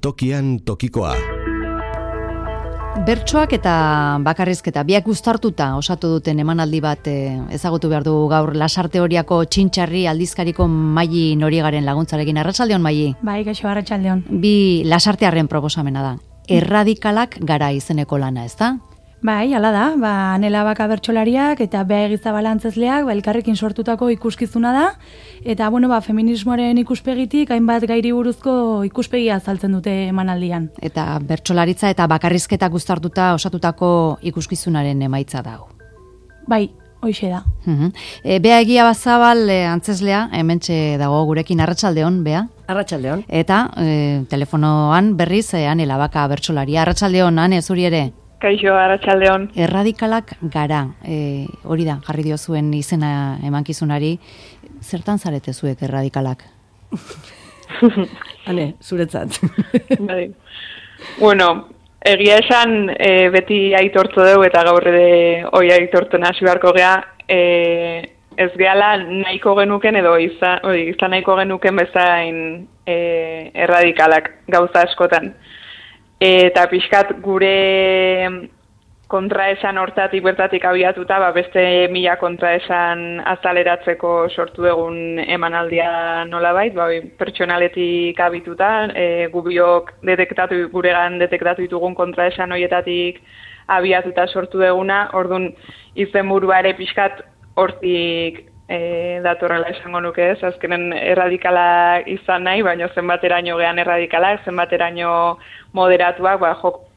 Tokian tokikoa. Bertsoak eta bakarrizketa biak uztartuta osatu duten emanaldi bat ezagutu behar du gaur Lasarte Oriako Txintxarri aldizkariko Maili Noriegaren laguntzarekin. Arratsaldeon, Maili. Bai, kaixo, arratsaldeon. Bi Lasartearren proposamena da. Erradikalak gara izeneko lana, ezta? Bai, hala da, Anela Baka bertsolariak eta Bea Egizabala antzezleak elkarrekin sortutako ikuskizuna da, eta feminismoaren ikuspegitik hainbat gairi buruzko ikuspegia azaltzen dute emanaldian. Eta bertsolaritza eta bakarrizketak uztartuta osatutako ikuskizunaren emaitza da. Bai, hoixe da. Bea Egizabal antzezlea, hementxe dago gurekin. Arratsaldeon, Bea. Arratsaldeon. Eta telefonoan berriz Anela Baka bertsolaria. Arratsaldeon, Ane, zuri ere. Kaixo, arratsaldeon. Erradikalak gara, hori da, jarri diozuen izena emankizunari. Zertan zarete zuek erradikalak? Hane, zuretzat. Bai. Bueno, egia esan beti aitortu dugu eta gaur ere hoi aitortu nasi beharko gea, ez gehala nahiko genuken edo izan nahiko genuken bezain erradikalak gauza askotan. Eta pixkat gure kontraesan hortatik bertatik abiatuta, beste 1000 kontraesan azaleratzeko sortu egun emanaldia nolabait, pertsonaletik abituta, gubiok guregan detektatu ditugun kontraesan horietatik abiatuta sortu eguna, orduan izenburua ere pixkat hortik datorrela esango nuke ez, azkenen erradikala izan nahi, baina zenbateraino gean erradikalak, zenbateraino moderatuak,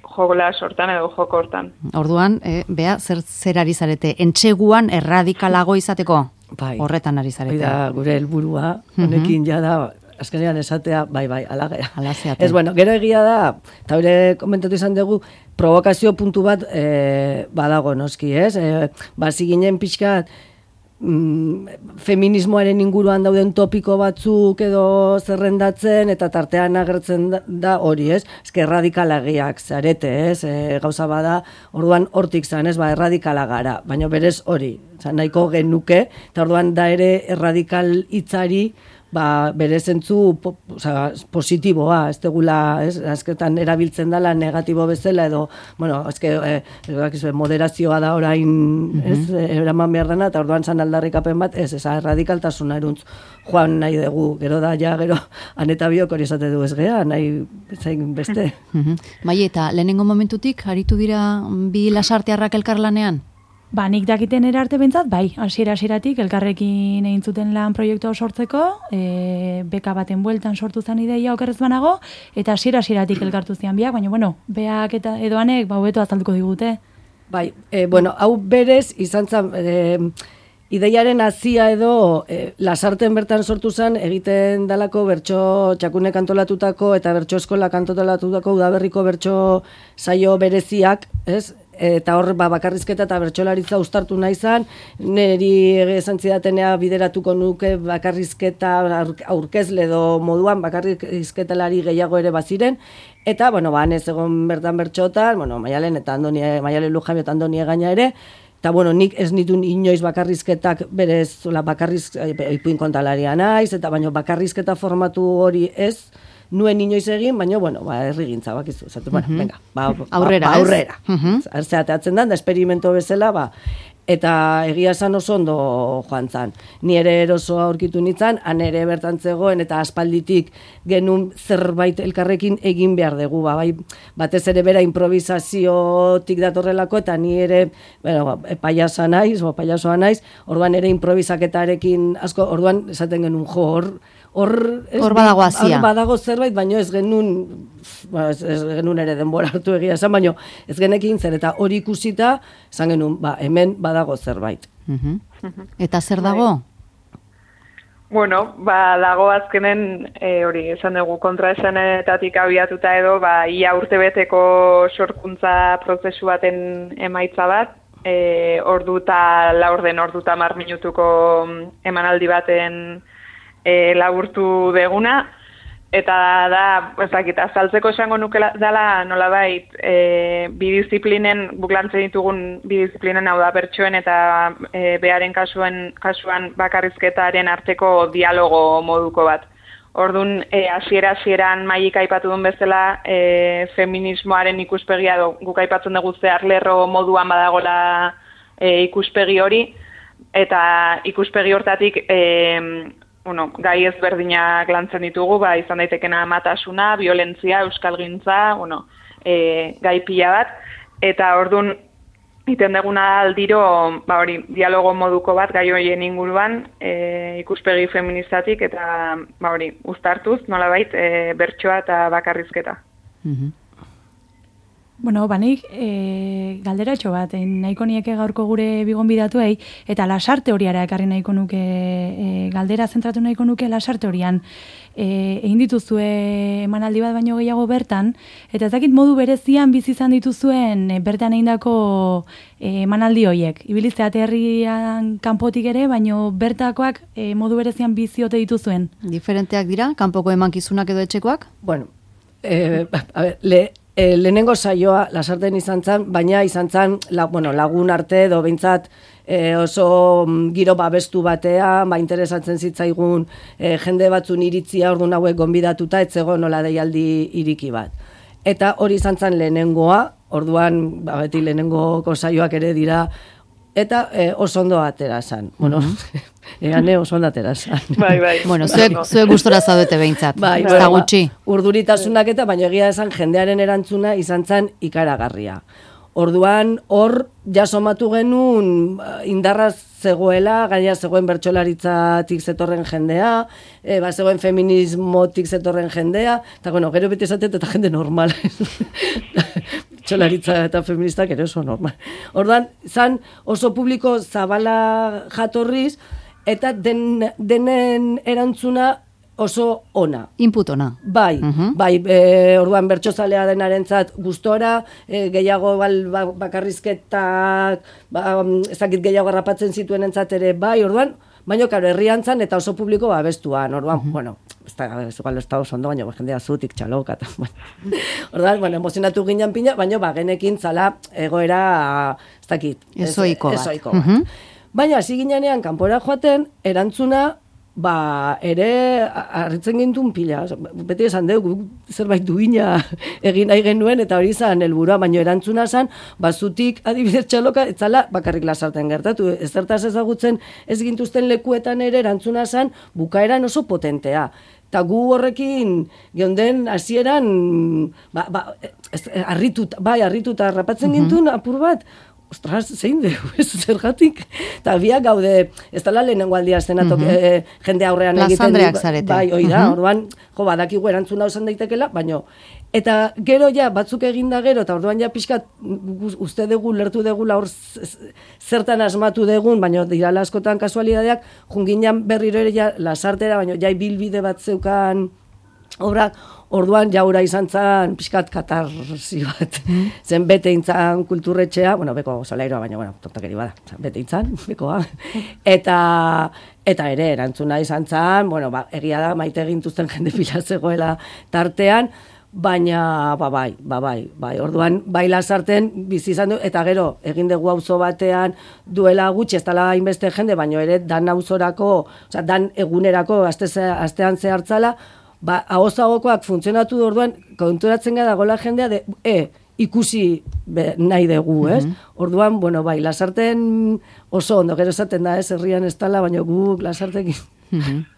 jokola sortan edo joko hortan. Orduan, Bea, zer ari zarete? Entseguan erradikalago izateko? Bai. Horretan ari zarete. Da, gure helburua, honekin jada, azkenean esatea, bai, ala zeate. Ez, bueno, gero egia da, eta hori komentatu izan dugu, provokazio puntu bat badago noski, ez? Bazi ginen pixkat, feminismoaren inguruan dauden topiko batzuk edo zerrendatzen eta tartean agertzen da hori, ez? Eske erradikalagiak zarete, ez? Gauza bada, orduan hortik zan, ez? Erradikala gara, baina berez hori, nahiko genuke, eta orduan da ere erradikal hitzari bere zentzu positiboa, ez degula, azketan erabiltzen dela negatibo bezala edo, bueno, moderazioa da orain, eraman behar dena, eta orduan zan aldarrikapen bat, erradikaltasuna eruntz joan nahi dugu, gero da, gero, Aneta biok hori esate du ez gea, nahi zain beste. Bai, eta lehenengo momentutik, aritu dira bi lasartearrak elkarlanean? Nik dakiten erarte bentzat, bai, hasieratik elkarrekin egin zuten lan proiektua sortzeko, beka baten bueltan sortu zen ideia okerrez banago, eta hasieratik elkartu zian biak, baina, Beak eta edoanek, hobeto azalduko digute. Bai, hau berez izan zen, ideiaren hazia edo Lasarten bertan sortu zen, egiten dalako bertso txakunek antolatutako eta bertso eskolak antolatutako udaberriko bertso saio bereziak, ez? Eta hor bakarrizketa eta bertsolaritza uztartu nahi zan, niri esan zidatenea bideratuko nuke bakarrizketa aurkezle edo moduan bakarrizketalari gehiago ere baziren, eta, ez egon bertan bertxotan, Maialen eta Maialen Lujabio eta Andonie gaina ere, eta, nik ez nituen inoiz bakarrizketak berez, ipuin kontalarian naiz, eta bakarrizketa formatu hori ez, nuen inoiz egin, baina, herrigintza, bakizu. Venga, aurrera. Zerteatzen da esperimento bezala, eta egia esan oso ondo joan zan. Ni ere erosoa aurkitu nintzen, han ere bertan zegoen, eta aspalditik genuen zerbait elkarrekin egin behar dugu, batez ere bera improvisaziotik datorrelako, eta ni ere, payasoa naiz, orduan ere improvisaketarekin asko, orduan esaten genuen hor badago hazia. Badago zerbait, baina ez genuen ere denbora hartu egia esan, baina ez genekin zer, eta hori ikusita, esan genuen, hemen badago zerbait. Eta zer dago? Bueno, dago azkenen, hori esan dugu kontraesanetatik abiatuta edo, ia urtebeteko sorkuntza prozesu baten emaitza bat, ordu eta 10 minutuko emanaldi baten laburtu deguna, eta da, azaltzeko esango nuke dela nolabait bi disiplinen, buklantzen ditugun bi disiplinen, hau da bertsoen eta Bearen kasuan bakarrizketaren arteko dialogo moduko bat. Orduan, hasieran Maik aipatu duen bezala, feminismoaren ikuspegia guk aipatzen dugu zehar lerro moduan badagola ikuspegi hori, eta ikuspegi hortatik gai ezberdinak lantzen ditugu, izan daitekena amatasuna, violentzia, euskalgintza, gai pila bat, eta orduan, iten deguna aldiro, dialogo moduko bat gai horien inguruan, ikuspegi feministatik eta uztartuz, nolabait, bertsoa eta bakarrizketa. Bueno, banik, galderatxo bat, nahiko nieke gaurko gure bigonbidatuei, eta lasarte horiara ekarri nahiko nuke, galdera zentratu nahiko nuke lasarte horian. Egin dituzue emanaldi bat baino gehiago bertan, eta ez dakit modu berezian bizi izan dituzuen bertan egindako emanaldi horiek. Ibilizte aterrian kanpotik ere, baino bertakoak modu berezian biziote dituzuen. Diferenteak dira, kanpoko emankizunak edo etxekoak? Bueno, lehenengo saioa lasarten izan zen, baina izan zen lagun arte edo behintzat oso giro babestu batean, interesatzen zitzaigun jende batzun iritzia orduan hauek gonbidatuta, etzego nola deialdi iriki bat. Eta hori izan zen lehenengoa, orduan beti lehenengoko saioak ere dira, eta oso ondo atera zen. Bueno, egane oso ondo atera zen. Bai. Bueno, zuek gustora zaudete behintzat. Bai, gutxi. Urduritasunak eta, baina egia esan jendearen erantzuna izan zen ikaragarria. Orduan, hor jasomatu genuen indarra zegoela, gaina zegoen bertsolaritzatik zetorren jendea, zegoen feminismotik zetorren jendea, eta gero beti esatet eta jende normal. Bertsolaritza eta feministak ere oso normal. Orduan, zan oso publiko zabala jatorriz, eta denen erantzuna oso ona. Input ona. Bai, orduan bertsozalea denarentzat gustora, gehiago bakarrizketak, ezakit gehiago harrapatzen zituen entzat ere, orduan, baina karo, herrian zan eta oso publiko babestuan, orduan, ez da oso ondo, baina jendea zutik txaloka, orduan, emozionatu ginen pina, baina genekin zala egoera, ez dakit. Ezoiko bat. Baina, hasi ginean kanpora joaten, erantzuna, ere harritzen gintun pila. Beti esan dugu, zerbait duina egin nahi genuen, eta hori izan helburua, baina erantzuna zan, zutik adibidez txaloka, etzala bakarrik lasarten gertatu. Ezertaz ezagutzen ez gintuzten lekuetan ere erantzuna zan, bukaeran oso potentea. Eta gu horrekin, geunden hasieran harrituta harrapatzen gintun apur bat, ostras, zein dugu, ez zergatik. Eta biak gaude, ez dala lehenengo aldia estenatok jende aurrean egiten. Plazandreak zarete. Bai, oida, orduan, badakigu erantzuna osan daitekela, baino. Eta gero batzuk eginda gero, eta orduan pixkat uste dugu, lertu dugu, hor zertan asmatu dugun, baino dirala askotan kasualidadeak, junginan berriro ere lasartera, baino bilbide bat zeukan obrak, orduan jaura izan zen pixkat katarzi bat. Zen bete intzan kulturretxea, beko solairoa, baina, tortakeri bada, bete intzan, bekoa. Eta ere, erantzuna izan zen, egia da, maite egintuzten jende pila zegoela tartean, baina, bai, orduan, bai lasarten bizi izan du, eta gero, egin dugu auzo batean duela gutxi, ez dela hainbeste jende, baina ere, dan auzorako, dan egunerako, astean zehartzala, ahozagokoak funtzionatu du orduan, konturatzen gara gola jendea ikusi nahi dugu, ez? Orduan, bai, lasarten oso ondo, gero esaten da, herrian ez dala, baina guk lasartekin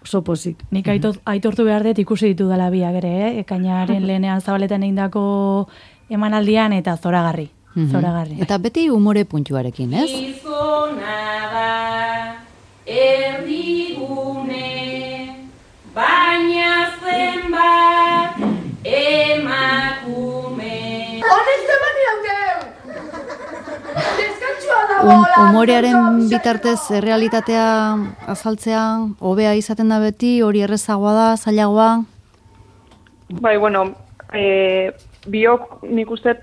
oso pozik. Nik aitortu behar dut ikusi ditu dela biak ere, ekainaren lehenean zabaletan egindako emanaldian eta zoragarri. Eta beti umore puntuarekin, ez? Gizona da, erdigune, baina zenbat emakume. Honezte bani haudeu! Deskantzua dagoela! Umorearen bitartez realitatea azaltzea, hobea izaten da beti, hori errezagoa da, zailagoa? Bai, biok nik uste,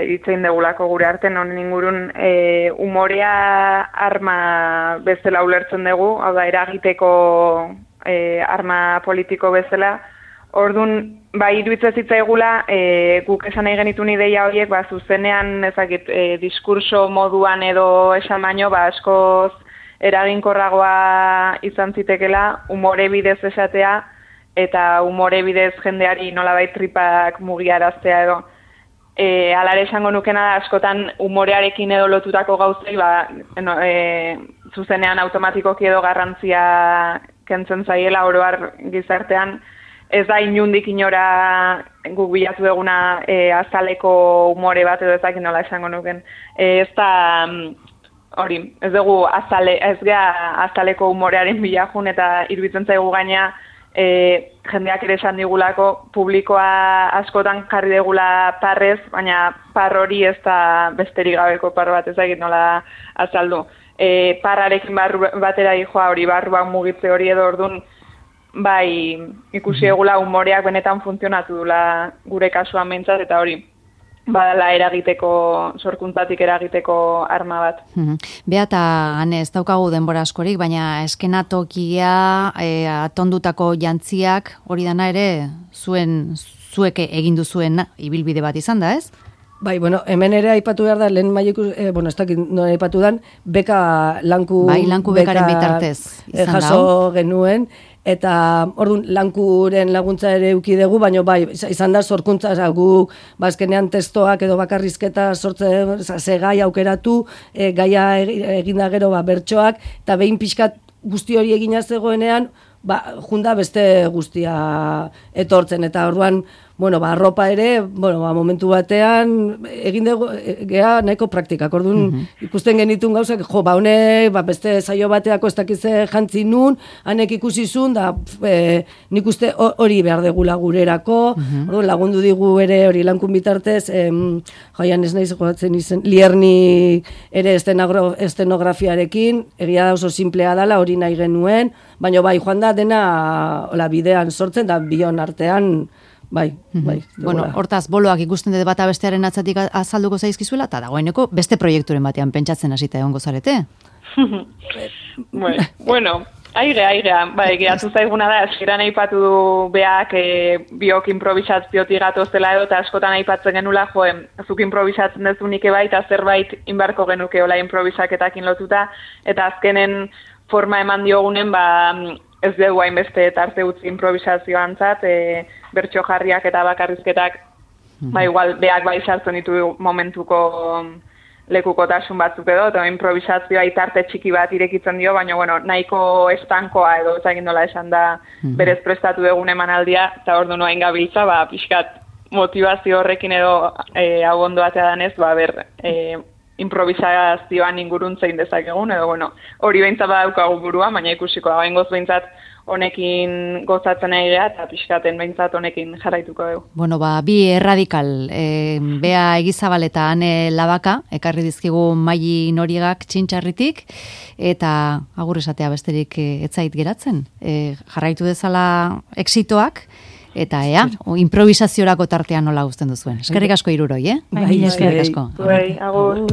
itzein degulako gure artean honen ingurun, umorea arma bezala ulertzen dugu, hau da, eragiteko arma politiko bezala. Orduan, iruditzen zitzaigula, guk esan nahi genitun ideia horiek, zuzenean, diskurso moduan edo esan baino, askoz eraginkorragoa izan zitekela umore bidez esatea eta umore bidez jendeari nolabait tripak mugiaraztea edo. Alare esango nukena da, askotan umorearekin edo lotutako gauzei, zuzenean automatikoki edo garrantzia kentzen zaiela oroar gizartean, ez da inundik inora guk bilatu eguna azaleko umore bat edo ezak nola esango nuken. Ez da, hori, ez dugu azaleko umorearen bilajun eta iruditzen zaigu gaina jendeak ere esan digulako publikoa askotan jarri degula parrez, baina par hori ez da besterik gabeko par bat ezagit nola azaldu. Parrarekin batera dijoa hori barruan mugitze hori edo ordun bai ikusi egula umoreak benetan funtzionatu dula gure kasuan behintzat eta hori badala eragiteko, sorkuntzatik eragiteko arma bat. Bea eta Ane, ez daukagu denbora askorik, baina eskenatokia, atondutako jantziak, hori dana ere, zuek egin duzuen ibilbide bat izan da, ez? Bai, bueno, hemen ere aipatu behar da, lehen maileku, ez dakit nola aipatu dan, beka lanku... Bai, lanku bekaren bitartez izan da. Jaso genuen, eta orduan lankuren laguntza ere eduki dugu, baina bai, izan da sorkuntza, guk bazkenean testoak edo bakarrizketa sortzen, ze gai aukeratu, gaia eginda gero bertsoak, eta behin pixkat guzti hori egina zegoenean, junda beste guztia etortzen, eta orduan, arropa ere, momentu batean, egin dugu, geha nahiko praktikak, orduan ikusten genitun gauzak, honek, beste zaio bateako ez dakize jantzi nun, hanek ikusizun, da nik uste hori behar degula gurerako, orduan lagundu digu ere hori lankun bitartez, jaian ez nahi zegoatzen izen, Lierni ere estenografiarekin, egia da oso simplea dela, hori nahi genuen, baina bai, joan da dena bidean sortzen, da bion artean, bai. Bueno, hortaz, boloak ikusten dut bata bestearen atzatik azalduko zaizkizuela, eta dagoeneko beste proiekturen batean pentsatzen hasita egongo zarete? Bueno, airea, bai, gehatu zaiguna da, eskiran aipatu du beak biok improvisaziotik gatozela edo, eta askotan aipatzen genula, zuk improvisatzen dezu nike bai, eta zerbait inbarko genuke ola improvisaketakin lotuta, eta azkenen forma eman diogunen, ez dugu hainbeste tarte utzi improvisazioantzat, bertso jarriak eta bakarrizketak, igual beak bai sartzen ditu momentuko lekukotasun batzuk edo, eta improvisazioa tarte txiki bat irekitzen dio, baina nahiko estankoa edo ezagin nola esan da berez prestatu egun emanaldia, eta ordu noain gabiltza, pixkat motivazio horrekin edo hau ondo atea danez, improvisazioan ingurun zein dezakegun, edo hori behintzat badaukagu burua, baina ikusiko da, behingoz behintzat honekin gozatzen egitea, eta pixkaten behintzat honekin jarraituko dugu. Bi erradikal, Bea Egizabal eta Ane Labaka, ekarri dizkigu Maili Noriegak Txintxarritik, eta agur esatea besterik etzait geratzen. Jarraitu dezala exitoak, eta improvisaziorako tartean nola guzten duzuen. Eskerrik asko hiruroi, Bai, eskerrik asko. Agur.